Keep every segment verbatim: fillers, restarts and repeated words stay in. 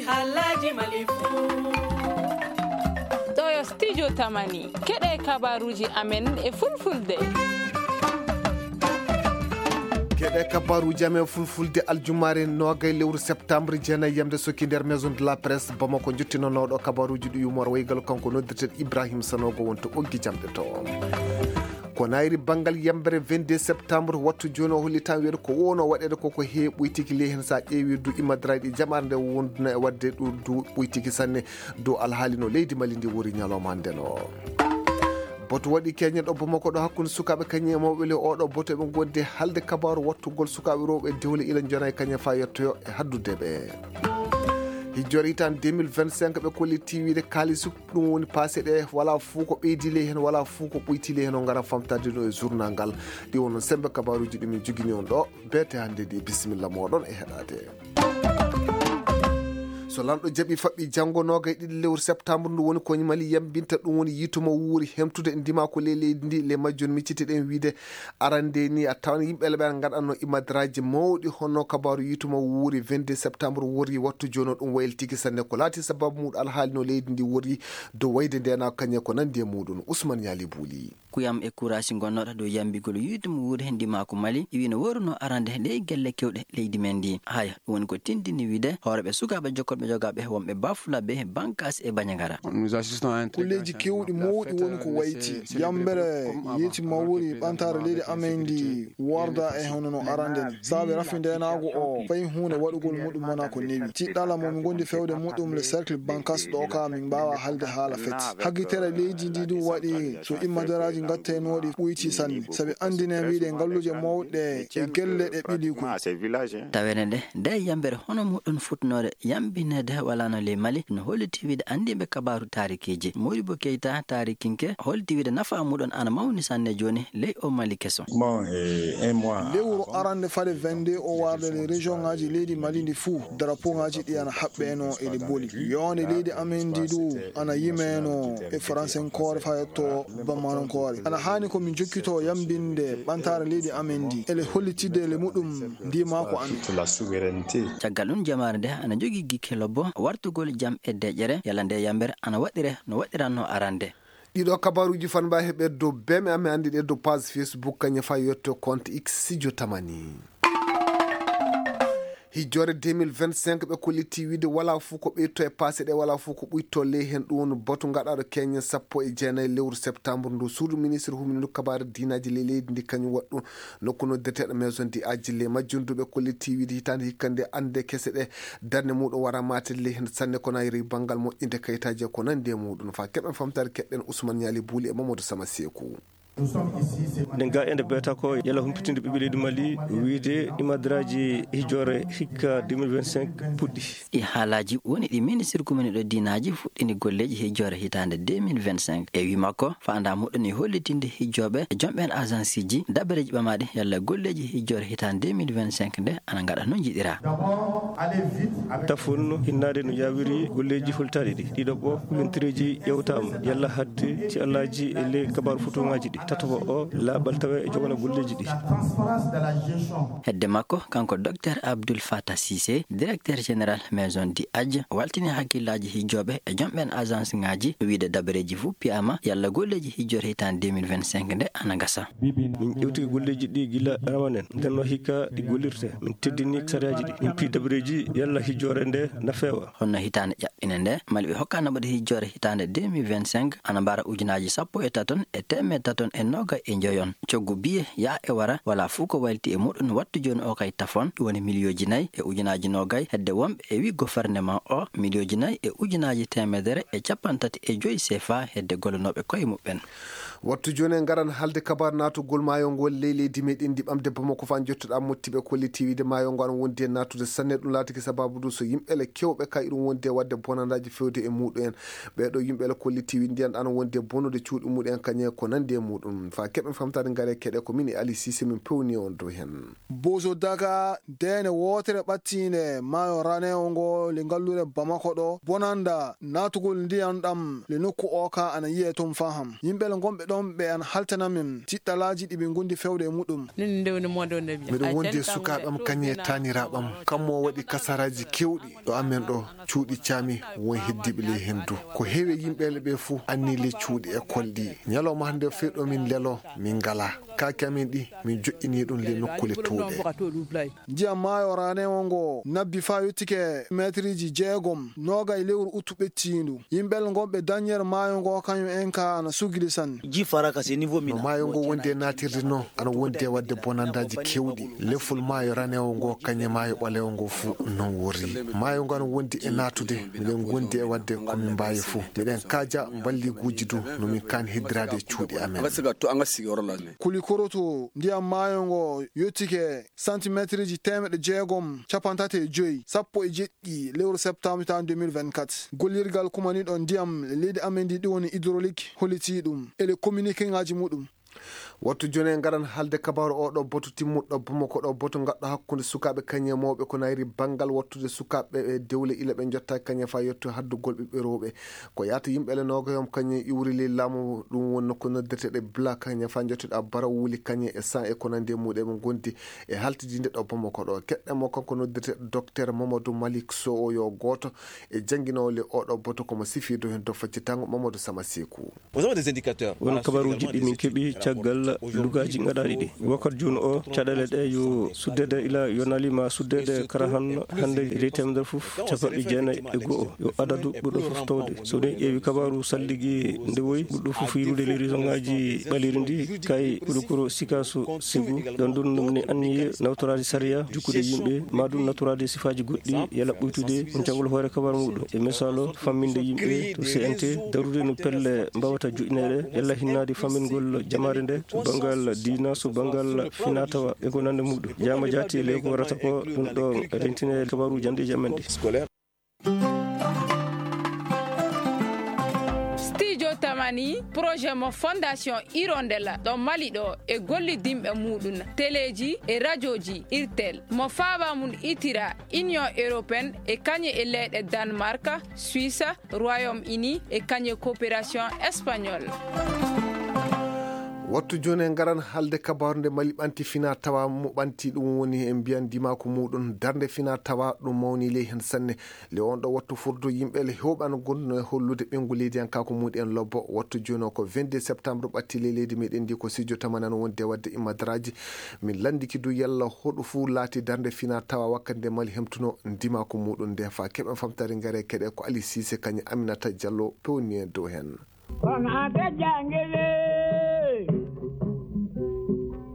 Alhaji Malifu. Ɗo yo studio Tamani. Keɗe kabaruuji amen e fulfulde. Keɗe kabaruuji amen fulfulde aljumaare noogay lewru septembre jeenay yamde sokki nder Maison de la Presse Bamako, jottinanooɗo kabaruuji ɗi yumor waygal kanko noddirteɗo Ibrahim Sanogo wonto ɓoggi jamɗe to. Ko nayri banngal yambere vingt-deux septembre, wattu jooni o holli tan wiyde ko wonno waɗeede ko ko heewi ɓuytiki ley heen. So a ƴeewi du imadraji ɗi jamaare nde wonduno e waɗde ɗum du ɓuytiki sanne dow alhaali no leydi Mali ndi wori ñalawma hannde no. Boto waɗi keñen ɗo Bamako ɗo hakkunde sukaaɓe kañum e mawɓe le oɗo boto eɓe ngondi halde kabaaru wattugol sukaaɓe rewɓe dewle ila jona e kañum faa yettoyo e haddude ɓe. Hijjore hitaande deux mille vingt-cinq ɓe kolli tiiwiide kaalis ɗum woni paase ɗe wala fuu ko ɓeydi ley heen wala fuu ko ɓoyti ley heen o ngara famtade no e journal ngal. Ɗi wonno sembe kabaaruuji ɗi min jogini on ɗo. Beete hannde ɗi, bisimilla mooɗon e heɗaade. So lanɗo jaɓi faɓɓi janngo noogay ɗiɗi lewru septembre ndu woni ko Mali yambinta ɗum woni yiitu mo wuuri hemtude ndima ko ley leydi ndi le majjum miccitiɗen wiide arande ni a tawan yimɓe le ɓe ngaɗanno imadraji mawɗi honno kabaaru yiitu mo wuuri vingt-deux septembre wori wattu jooni ɗum waylitiki sanne ko laati sababu muɗum alhaali no leydi ndi wori dow wayde ndena kañe ko nandi e muɗum Ousmane Ñaali Buuli. Kuyam e kuraasi ngonnooɗo dow yambigol yiitu mo wuuri he ndimaaku Mali, iwi no wooruno arande ley gelle kewɗe leydi men ndi. Haya, ɗum woni ko tindini wiide hooreɓe sukaaɓe jokkolɓe jogaaɓe wonɓe Bafulabe, Bankas e Banjagara. Kulleeji kewɗi mawɗi woni ko wayti. Yambere yiitu mo wuuri ɓantaare leydi amen ndi warda e hono no arande ni. Saabe rafi ndenaagu o, fayi huunde waɗugol muɗum wona ko newi. Tiɗɗala mo mi ngondi fewde muɗum le cercle Bankas ɗo ka min mbaawa halde haala feti. Haggitere leydi ndi ɗum waɗi so immadaraaji ngattenooɗi ɓuyti sanne. Sabi anndine mbiɗe ngalluuje mawɗe e gelle ɗe ɓili ko. Tawene nde, nde yambere hono muɗum fuɗnoore yambineede walano ley Mali, no holliti wiide anndiiɓe kabaaru taarikiiji. Modibo Keita, taarikinke, holliti wiide nafa muɗum ana mawni sanne jooni ley o Mali keso. Lewru arande fade vingt-deux o warde le région ngaji leydi Mali ndi fuu, drapeau ngaji ɗi ana haɓɓeno e ɗi boli. Yonde leydi amen ndi du ana yimeno e faransenkoore fa yetto bammanonkoore. Ana haani ko min jokkito yambinde ɓantare leydi amen ndi, ele hollitide le muɗum ndi maako amen. Caggal ɗum, jamaare nde ana jogii gikke lobbo wartugol jam e deƴƴere, yalla nde yambere ana waɗire no waɗiranno arande. Ɗiɗo kabaruuji fan mba heɓe dow beme amen anndi ɗe dow page Facebook kañum fa yetto compte X Sijo Tamani. Hijjore deux mille vingt-cinq ɓe kolliti wiide wala fof ko ɓeyto e paase ɗe, wala fof ko ɓuyto ley heen. Ɗum woni batu gaɗaɗo keñen sappo e jeenayi lewru septembre ndu. Suudu ministre humindu kabaare diinaji ley leydi ndi kañum waɗɗum nokku noddeteeɗo maison di aji ley majjum du ɓe kolliti wiide hitaande hikka nde annde kese ɗe darnde muɗum wara maate ley heen sanne ko nayri banngal moƴƴinde kayitaaji e ko nanndi e muɗum. Fa keɓen famtaare keɗɗen Ousmane Ñaali Buuli e Mamadou Sama Seeku. Ɗen ga ende beta ko yala humpitinde ɓiɓɓe leydi Mali wiide imadraji hijjore hikka deux mille vingt-cinq puɗɗi. Ɗi haalaaji woni ɗi ministre kuminiɗo diinaaji fuɗɗini golleeji hijjore hitaande deux mille vingt-cinq. E wii makko, faandaa muɗum e hollitinde hijjooɓe e jomɓe en agence ji dabareeji ɓamaaɗi yalla golleeji hijjore hitaande deux mille vingt-cinq nde ana ngaɗa no njiɗiraa. Tafon hinnaade no yaawiri golleeji holtaaɗi ɗi. Ɗiɗo ɓo, yontireeji ƴewtaama yalla hadde ci allaaji e ley kabaaru fotooŋaaji ɗi. Tataɓo o, laaɓal tawa e jogana golleeji ɗi. Hedde makko, kanko Docteur Abdoul Fatah Cissé, directeur général maison di Aji, waltini hakkillaaji hijjooɓe e jomɓe en agence ŋaaji, wiide dabareeji fof piyaama yalla golleeji hijjore hitaande deux mille vingt-cinq nde ana ngasa. Min ƴewti golleeji ɗi gila ramanen, nden no hikka ɗi gollirte. Min teddini sariyaaji ɗi. Min pii dabareeji yalla hijjore nde na feewa. Honno hitaande ƴaɓɓine nde, Mali ɓe hokkaano mbaɗa hijjore hitaande deux mille vingt-cinq, ana mbara ujunaaji sappo e taton e teemeɗɗe taton e noogay e njoyon. Coggu biye yaa e wara, wala fof ko wayliti e muɗum wattu jooni o kay tafon, ɗum woni miliyooji nayi e ujunaaji noogay, hedde wonɓe e wi goferneman o, miliyooji nayi e ujunaaji teemedere e capanɗe tati e joyi C F A hedde gollanooɓe koye muɓɓen. Wattu jooni en ngaran haalde kabaar naatugol maayo ngol ley leydi meɗen ndi ɓamde Bamako fa jottuɗaa motti ɓe kolliti wiide maayo ngo ana wondi e naatude sanne. Ɗum laatiki sababu du so yimɓe le kewɓe ka iɗum wondi e waɗde bonandaaji fewde e muɗum en. Ɓee ɗo yimɓe le kolliti wiide ndiyan ana wondi e bonude cuuɗi muɗum en kañe ko nandi e muɗum. Fa keɓen famtaade ngare keɗe ko min e Ali Cissé min pewni on dow heen. Bozo Daga, deene wootere ɓattiinde maayo ranewo ngo le ngalluure Bamako ɗo, bonanda naatugol ndiyan ɗam le nokku o ka ana yiye toon faham. Yimɓe le ngonɓe ɗo on ɓe ana haltana min tiɗɗalaaji ɗi ɓe ngondi fewde e muɗum. Miɗo wondi e sukaaɓe am kañum e taaniraaɓe am. Kammo o waɗi kasaraaji keewɗi ɗo amen ɗo, cuuɗi caami, won heddiiɓe ley henndu. Ko heewi e yimɓe ɓe fof anni ley cuuɗi école ɗi. Ñalawma hannde o fewɗo min lelo, min ngalaa. Kaake amen ɗi, min joƴƴini ɗum ley nokkuule toowɗe. Ndiyam maayo ranewo ngo nabbi faa yottike meetirji jeegom, noogay lewru uttu ɓettiindu. Yimɓe ngonɓe dañere maayo ngo kañum en ka ana sugili sanne. Ji faraka se niveau. No mina. Maayo ngo wondi e naatirde no, ana wondi e waɗde bonandaaji keewɗi. Lefol maayo ranewo ngo kañum e maayo ɓalewo ngo fuu non worri. Maayo ngo ana wondi e naatude, miɗen ngondi e waɗde ko min mbaawi fuu. Miɗen kaaja mballiguuji du no min kaani heddiraade e cuuɗi amen. Kuli koroto ndiyam maayo ngo yottike santimeetirji teemeɗɗe jeegom, capanɗe tati e joy, sappo e jeɗɗi lewru septembre tan deux mille vingt-quatre. Gollirgal kumaniiɗo ndiyam leydi amen ndi, ɗi woni hydraulique, hollitii ɗum e le communiqué ŋaaji muɗum. Wattu jooni en ngaran haalde kabaaru oo ɗoo boto timmuɗo Bamako ɗoo boto ngaɗɗo hakkunde sukaaɓe kañum e mawɓe ko nayri banngal wattude sukaaɓe e dewle ila ɓe njottaaki kañum e faa yettu haddugol ɓiɓɓe rewɓe. Ko yaata yimɓe ele noogayom kañum iwri ley laamu, ɗum woni nokku noddirteeɗo Bla kañum e faa njottude Abbara wuli kañum e San e ko nanndi e muɗum e ɓe ngondi e haltidinde ɗo Bamako ɗo. Keɗɗen mo kanko noddirteeɗo Docteur Mamadou Malick Sow o yo gooto e jannginoowo le oo ɗoo boto ko mo sifiido heen dow faccitango Mamadou Sama Sekou. Won kabaruuji ɗi min keɓi caggal lugaaji gaɗaaɗi ɗi. Wakkati jooni o, caɗeele ɗe yo suddeede ila yo naali ma suddeede karahan hannde e ley teemedere fof, capanɗe jeenayi e go'o yo adadu ɓurɗo fof tawde. So ɗen ƴeewi kabaaru salligi nde woyi, ɓurɗo fof yirude ley région ŋaaji ɓaleeri ndi, kay ɓuri koro Sikaso Segu. Ɗon ɗon ɗum ni anniye nawtoraade sariya, jukkude yimɓe, ma ɗum nawtoraade sifaaji goɗɗi, yalla ɓuytude on jangol hoore kabaaru muɗum. E misalo, famminde yimɓe to C N T, darude no pelle mbawata joƴƴineede, yalla hinnaade fammingol jamaare nde, so banngal diina, so banngal finatawa, e ko nande muɗum. Jaama jaati e ley ko warata ko, ɗum ɗo rentine kabaaru janndeeji amen ɗi. Studio Tamani, projet mo Fondation Hirondelle ɗo Mali ɗo e gollidinɓe muɗum, teleeji e rajooji, Irtel, mo faaba mum itira Union Européenne e kañum e leyɗe Danemark, Suisse, Royaume-Uni e kañum e coopération espagnole. Wattu jooni en ngaran haalde kabaaru nde Mali ɓanti fina tawa mo ɓanti, ɗum woni en mbiyan dimaaku muɗum darnde fina tawa ɗum mawni ley heen sanne. Le on ɗo wattu furdu yimɓe le heewɓe ana gonduno e hollude ɓeyngu leydiyankaaku muɗum en lobbo. Wattu jooni o ko vingt-deux septembre ɓatti ley leydi meɗen ndi ko studio Tamani wonde wadde immadaraaji. Min lanndiki du yalla hoɗo fuu laati darnde fina tawa wakkati nde Mali hemtuno ndimaaku muɗum nde fa keɓen famtare ngare keɗe ko Ali Cissé kañum Aminata Diallo pewni en dow heen. Wangate jangele.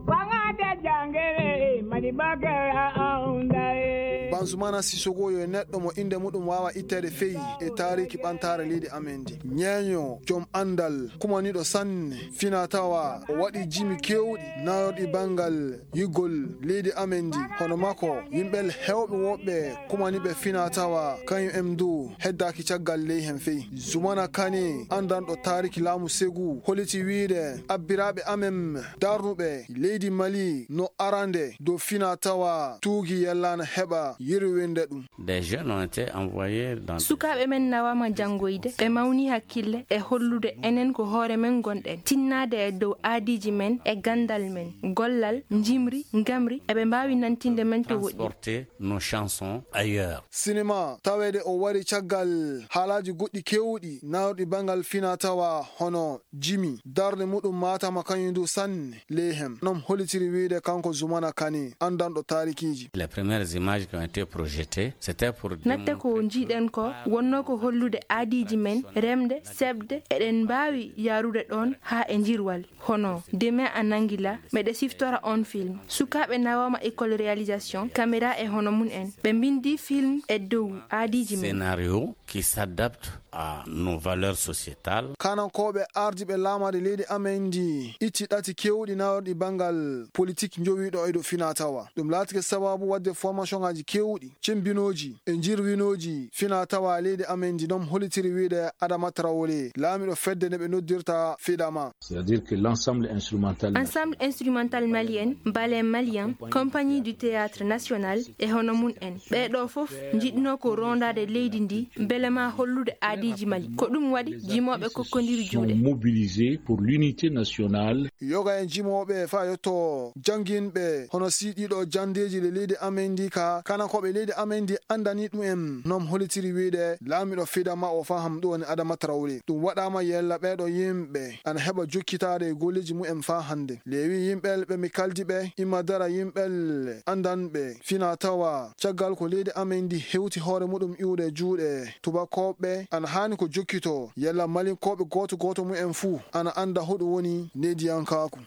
Wangate jangele, Mali bakara aundaye. Banzumana Sissoco yo neɗɗo mo innde muɗum waawa itteede feyi e taariki ɓantaare leydi amen ndi. Ñeeño, joom anndal, kumaniiɗo sanne, fina tawa, o waɗi jimi keewɗi, nayorɗi banngal yigol leydi amen ndi. Hono makko, yimɓe heewɓe woɓɓe kumaniiɓe fina tawa, kañum en du heddaaki caggal ley heen feyi. Zumana Kane, anndanɗo taariki laamu Segu, holliti wiyde abbiraaɓe amen darnuɓe leydi Mali no arande dow fina tawa tuugi yellaana heɓa yirwinde ɗum. Des jeunes ont été envoyés dans des Sukaaɓe men nawaama janngoyde, ɓe mawni hakkille e hollude enen ko hoore men ngonɗen, tinnaade e dow aadiiji men e ganndal men, gollal, njimri, ngamri, eɓe mbaawi nantinde men to woɗɗi. Transporter nos chansons ailleurs. Sinema, taweede o wari caggal haalaaji goɗɗi keewɗi nayorɗi banngal fina tawa hono jimi, darnde muɗum maataama kañum du sanne ley heen. Non hollitiri wiyde kanko Zumana Kane, anndanɗo taarikiiji. Les premières images qui ont été projetées, c'était pour Natte ko démontrer njiiɗen ko wonno ko hollude aadiiji men, remde, seɓde, eɗen mbaawi yaarude ɗoon haa e njirwal. Hono, Demain en Anguilla, meɗe siftora on film. Sukaaɓe nawaama école réalisation, caméra e hono mum en. Ɓe mbindi film e dow aadiiji men. Scénario qui s'adapte à nos valeurs sociétales. Kanankooɓe ardiiɓe laamaade leydi amen ndi itti ɗati keewɗi nayorɗi banngal politique njowiiɗo e dow fina tawa. Ɗum laatike sababu waɗde formation ŋaaji keewɗi Ɗowɗi, cimbinooji e njirwinooji fina tawa leydi amen ndi noon holitiri wiyde Adama Traoré, laamiɗo fedde nde ɓe noddirta Fidama. C'est-à-dire que l'ensemble instrumental Ensemble instrumental malien, ballet malien, compagnie du théâtre national e hono mum en. Ɓee ɗoo fof njiɗnoo ko rondaade leydi ndi mbele ma hollude aadiiji Mali. Ko ɗum waɗi jimooɓe kokkondiri juuɗe. Mobilisés pour l'unité nationale. Yoga e jimooɓe faa yotto jannginɓe hono si ɗiɗo janndeeji le leydi amen ndi ka kana ko ɓe leydi amen ndi anndani ɗum en noon holitiri wiyde laamiɗo Fidama o faham ɗum woni Adama Traoré. Ɗum waɗaama yella ɓee ɗoo yimɓe ana heɓa jokkitaade e golleeji mum en faa hannde. Leewi yimɓe ɓe mi kaldi ɓe, imma dara yimɓe anndanɓe fina tawa caggal ko leydi amen ndi hewti hoore muɗum iwde juuɗe tubakooɓe ana haani ko jokkito yella malinkooɓe gooto gooto mum en fuu ana annda hoɗum woni nediyankaaku.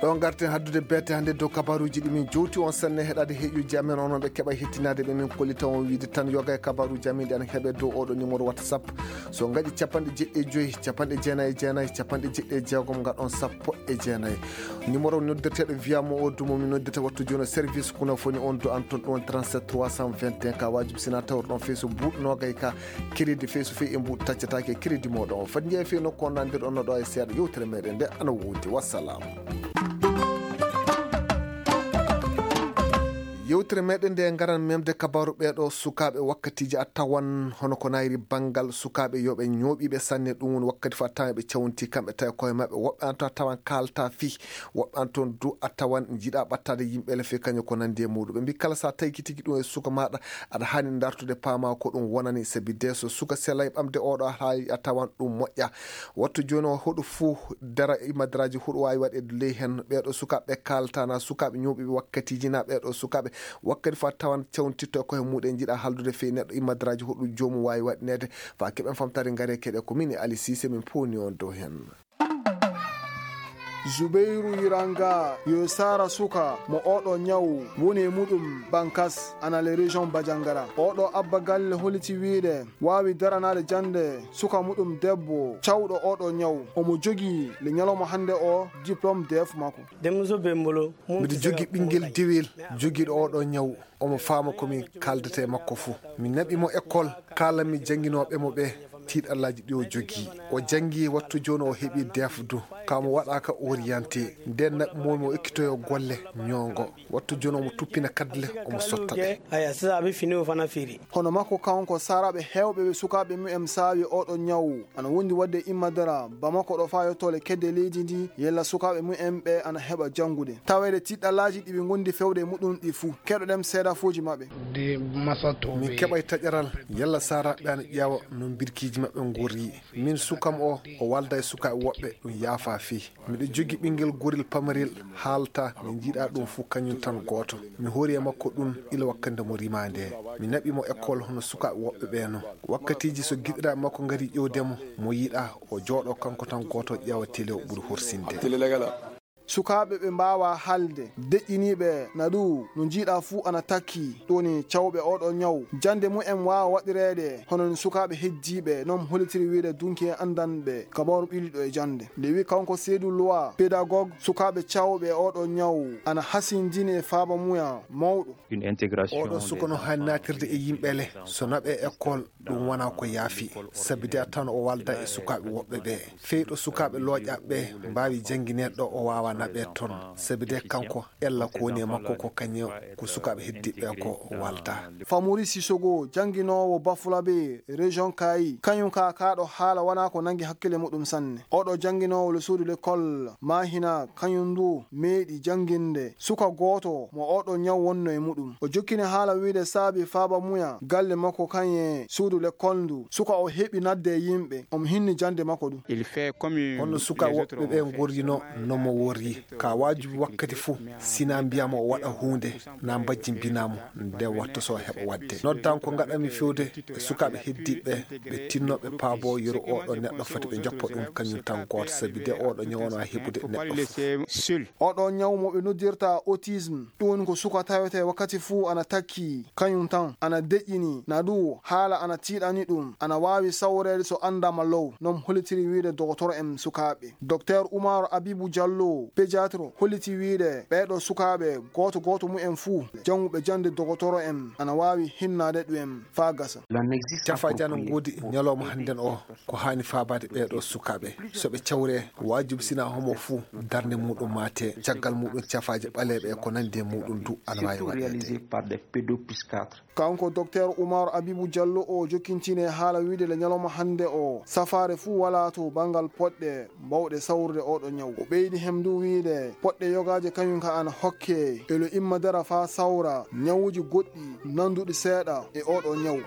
Ɗo ngarten haddude beete hannde dow kabaruuji ɗi min jowti on sanne heɗaade heƴuji amen onon ɓe keɓa hettinaade ɓe min kollita on wiide tan yoga e kabaruuji amen ɗi ana heɓe dow oɗo numéro WhatsApp. So ngaɗi capanɗe jeɗɗi e joyi, capanɗe jeenayi e jeenayi, capanɗe jeɗɗi e jeegom ngaɗon sappo e jeenayi. Numéro noddeteeɗo via mo o dumo mi noddete wattu jono service kuna foni on do anton ɗon trente-sept trois cent vingt et un ka wajib sina tawr ɗon feeso buuɗ nogay ka crédit feeso fe e mbuuɗ taccataake crédit moɗon o fat jeeya fe nokku on nandir on no ɗo e seeɗa yewtere meɗen nde ana woodi. Wassalam. Yewtere meɗen nde ngaran memde kabaru ɓeɗo sukaaɓe wakkatiji a tawan hono ko nayri bangal sukaaɓe yoɓe ñooɓiɓe sanne ɗum woni wakkati fo a tawan ɓe cawnti kamɓe tawi koye maɓɓe woɓɓe an to a tawan kalta fi woɓɓe an toon du a tawan jiɗa ɓattade yimɓe le fe kañum ko nandi e muɗum ɓe mbi kala sa tawi ki tigi ɗum e suka maɗa aɗa hani dartude paama ko ɗum wonani sabi de so suka selay ɓamde oɗo haali a tawan ɗum moƴƴa. Wattu jooni o huɗo fuu dara imadraji huɗo waawi waɗeede ley heen ɓeeɗo sukaaɓe ɓe kaalata na sukaaɓe ñooɓiiɓe wakkatiiji na ɓeeɗo sukaaɓe wakkati fof a tawan cewntitto e koye muɗen njiɗa haaldude fii neɗɗo imadraji huɗo joomum waawi waɗineede faa keɓen famtaare ngare keɗe ko min e Ali Cissé min powni on dow heen. Zubairu Yiranga yo saara suka mo oɗo ñaw woni e muɗum Bankas ana le région Bajangara. Oɗo abba galle holiti wiide waawi daranaade jannde suka muɗum debbo cawɗo oɗo ñaw. Omo jogii le ñalawma hannde o diplôme D F makko. Denmuso bɛ n bolo. Miɗo jogii ɓinngel dewel jogiiɗo oɗo ñaw. Omo faama ko mi kaaldata e makko fuu. Mi naɓi mo école, kaalanmi jannginooɓe mo ɓee tiiɗallaaji ɗi o jogii. O janngi wattu jooni o heɓii D F du. Ka mo waɗaaka orienté. Nden naɓi mo mo ekkitoyo golle ñoongo. Wattu jooni omo tuppina kadle omo sotta ɗe. Aya, sisa aɓe fini o fana feere. Hono makko kanko saaraaɓe heewɓe ɓe sukaaɓe mumen saawi oɗo ñaw. Ana wondi waɗde immadara Bamako ɗo faa yottoole kedde leydi ndi yella sukaaɓe mumen ɓe ana heɓa janngude. Taweede tiiɗallaaji ɗi ɓe ngondi fewde e muɗum ɗi fuu. Keɗoɗen seedafooji maɓɓe. Min keɓay taƴaral yalla saaraaɓe ana ƴeewa no mbirkiiji maɓɓe ngorri. Min sukam o o walda e sukaaɓe woɓɓe ɗum yaafa fii. Miɗo jogi ɓinngel gorel pamarel haalta mi njiɗa ɗum fuu kañum tan gooto. Mi hoori e makko ɗum ila wakkande mo rimaa nde. Mi naɓi mo école hono sukaaɓe woɓɓe ɓee no. Wakkatiiji so giɗiraaɓe makko ngari ƴewde mo, mo yiɗa o jooɗo kanko tan gooto ƴeewa tele o ɓuri horsinde. Sukaaɓe ɓe mbaawaa haalde, deƴƴiniiɓe na ɗu no njiiɗaa fuu ana takki, ɗum woni cawɓe ooɗoo ñaw. Jannde mumen waawa waɗireede hono no sukaaɓe heddiiɓe, noon holitiri wiyde dunki e anndanɓe kabaaru ɓiliiɗo e jannde. Nde wiyi kanko Seydou Loa, pédagogue sukaaɓe cawɓe ooɗoo ñaw, ana hasindini e faaba muya mawɗo. Oɗo suka no haani naatirde e yimɓe le, so naɓe école ɗum wona ko yaafi. Sabi de a tan o walda e sukaaɓe woɓɓe ɓe. Feyɗo sukaaɓe looƴaaɓe ɓe mbaawi janngineede ɗo o waawa naɓeede toon. Sabi de kanko ella ko woni e makko ko kañum ko sukaaɓe heddiiɓe ɓe ko walda. Famori Sisogo jannginoowo Bafulabe région Kayi kañum ka kaaɗo haala wona ko nangi hakkille muɗum sanne. Oɗo jannginoowo le suudu l'école Mahina kañum ndu meeɗi jannginde suka gooto mo oɗo ñaw wonno e muɗum. O jokkini haala wiide saabi faaba muya galle makko kañum e suudu lekkol ndu. Suka o heɓi nadde e yimɓe. Omo hinni jannde makko ɗum. Honno suka woɓɓe ɓe ngorrino no mo worri. Ka waajibi wakkati fuu, sina mbiyaama o waɗa huunde, na mbajjimbinaamo, nde watta so heɓa waɗde. Noddan ko ngaɗanmi fewde e sukaaɓe heddiiɓe ɓe tinnooɓe paabo yeru oɗo neɗɗo foti ɓe njoppa ɗum kañum tan gooto, sabi de oɗo ñaw wona heɓude neɗɗo fof. Oɗo ñaw mo ɓe noddirta autisme, ɗum woni ko suka tawete wakkati fuu ana takki kañum tan, ana deƴƴini, na ɗu haala ana tiiɗani ɗum, ana waawi sawreede so anndaama low, non holitiri wiide dogotoro en sukaaɓe. Docteur Umar Abibu Jallo, Pédiatre holliti wiyde ɓeeɗo sukaaɓe gooto gooto mumen fuu jannguɓe jannde dogotoro en ana waawi hinnaade ɗum en faa gasa. Cafaaji ana ngoodi ñalawma hannden o. Ko haani faabaade ɓeeɗo sukaaɓe, so ɓe cawree, waajibi sinaa homo fuu darnde muuɗum maate. Caggal muuɗum, cafaaji ɓaleeɓe e ko nanndi e muuɗum du ana waawi waɗeede. Kanko Doktor Umar Abibu Jallo o jokkintini e haala wiyde le ñalawma hannde o, safaare fuu walaa to banngal poɗɗe mbaawɗe sawrude ooɗo ñaw. O ɓeydi hem du wiyde poɗɗe yogaaje kañum ka ana hokkee elo imma dara faa sawra ñawuuji goɗɗi nannduɗi seeɗa e ooɗo ñaw.